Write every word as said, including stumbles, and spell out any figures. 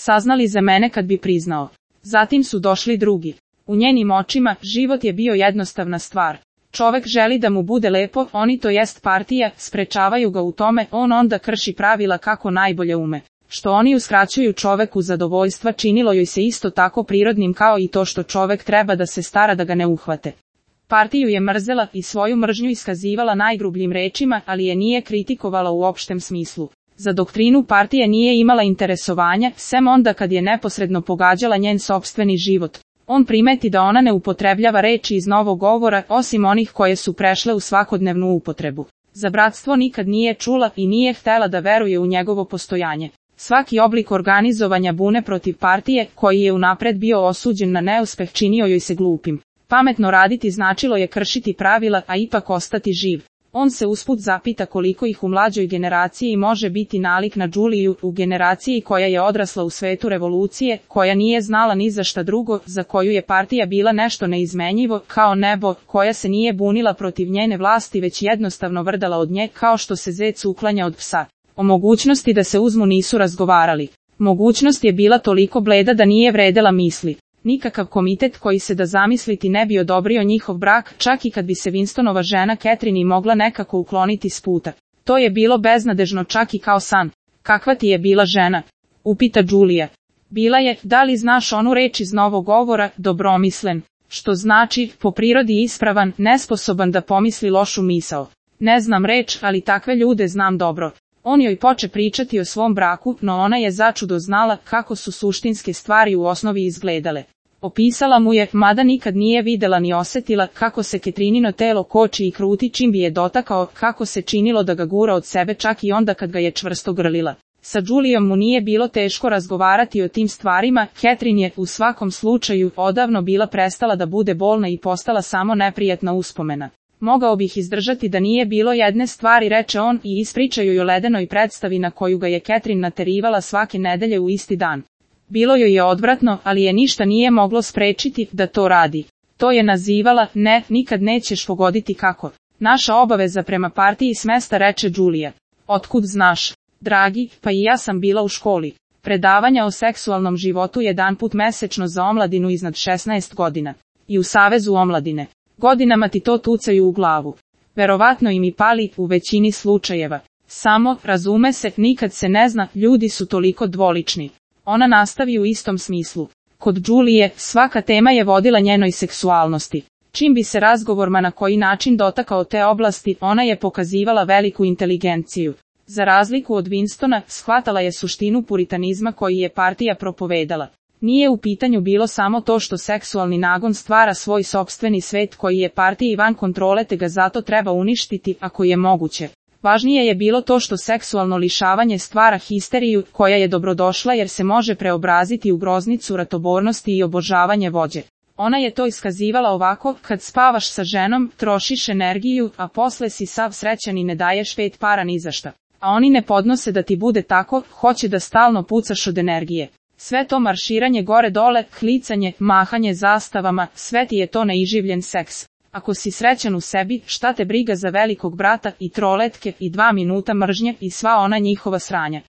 saznali za mene kad bi priznao. Zatim su došli drugi. U njenim očima, život je bio jednostavna stvar. Čovek želi da mu bude lepo, oni to jest partija, sprečavaju ga u tome, on onda krši pravila kako najbolje ume. Što oni uskraćuju čoveku zadovoljstva činilo joj se isto tako prirodnim kao i to što čovek treba da se stara da ga ne uhvate. Partiju je mrzela i svoju mržnju iskazivala najgrubljim rečima, ali je nije kritikovala u opštem smislu. Za doktrinu partije nije imala interesovanja, sem onda kad je neposredno pogađala njen sopstveni život. On primeti da ona ne upotrebljava reči iz novog govora, osim onih koje su prešle u svakodnevnu upotrebu. Za bratstvo nikad nije čula i nije htela da veruje u njegovo postojanje. Svaki oblik organizovanja bune protiv partije, koji je unapred bio osuđen na neuspeh, činio joj se glupim. Pametno raditi značilo je kršiti pravila, a ipak ostati živ. On se usput zapita koliko ih u mlađoj generaciji može biti nalik na Đuliju, u generaciji koja je odrasla u svetu revolucije, koja nije znala ni za šta drugo, za koju je partija bila nešto neizmenjivo, kao nebo, koja se nije bunila protiv njene vlasti već jednostavno vrdala od nje kao što se zec uklanja od psa. O mogućnosti da se uzmu nisu razgovarali. Mogućnost je bila toliko bleda da nije vredela misli. Nikakav komitet koji se da zamisliti ne bi odobrio njihov brak, čak i kad bi se Winstonova žena Catherine mogla nekako ukloniti s puta. To je bilo beznadežno čak i kao san. Kakva ti je bila žena? Upita Đulija. Bila je, da li znaš onu reč iz novog govora, dobromislen, što znači, po prirodi ispravan, nesposoban da pomisli lošu misao. Ne znam reč, ali takve ljude znam dobro. On joj poče pričati o svom braku, no ona je začudo znala kako su suštinske stvari u osnovi izgledale. Opisala mu je, mada nikad nije videla ni osetila, kako se Ketrinino telo koči i kruti čim bi je dotakao, kako se činilo da ga gura od sebe čak i onda kad ga je čvrsto grlila. Sa Đulijom mu nije bilo teško razgovarati o tim stvarima, Catherine je, u svakom slučaju, odavno bila prestala da bude bolna i postala samo neprijatna uspomena. Mogao bih izdržati da nije bilo jedne stvari, reče on i ispričaju joj o ledenoj predstavi na koju ga je Catherine naterivala svake nedelje u isti dan. Bilo joj je odvratno, ali je ništa nije moglo sprečiti da to radi. To je nazivala, ne, nikad nećeš pogoditi kako. Naša obaveza prema partiji smesta, reče Đulija. Otkud znaš? Dragi, pa i ja sam bila u školi. Predavanja o seksualnom životu jedan put mesečno za omladinu iznad šesnaest godina. I u Savezu omladine. Godinama ti to tucaju u glavu. Verovatno im i pali u većini slučajeva. Samo, razume se, nikad se ne zna, ljudi su toliko dvolični. Ona nastavi u istom smislu. Kod Đulije, svaka tema je vodila njenoj seksualnosti. Čim bi se razgovor ma na koji način dotakao te oblasti, ona je pokazivala veliku inteligenciju. Za razliku od Winstona, shvatala je suštinu puritanizma koji je partija propovedala. Nije u pitanju bilo samo to što seksualni nagon stvara svoj sopstveni svet koji je partiji van kontrole te ga zato treba uništiti ako je moguće. Važnije je bilo to što seksualno lišavanje stvara histeriju koja je dobrodošla jer se može preobraziti u groznicu ratobornosti i obožavanje vođe. Ona je to iskazivala ovako, kad spavaš sa ženom, trošiš energiju, a posle si sav srećan i ne daješ pet para ni za šta. A oni ne podnose da ti bude tako, hoće da stalno pucaš od energije. Sve to marširanje gore-dole, klicanje, mahanje zastavama, sve ti je to neiživljen seks. Ako si srećan u sebi, šta te briga za velikog brata i troletke i dva minuta mržnje i sva ona njihova sranja.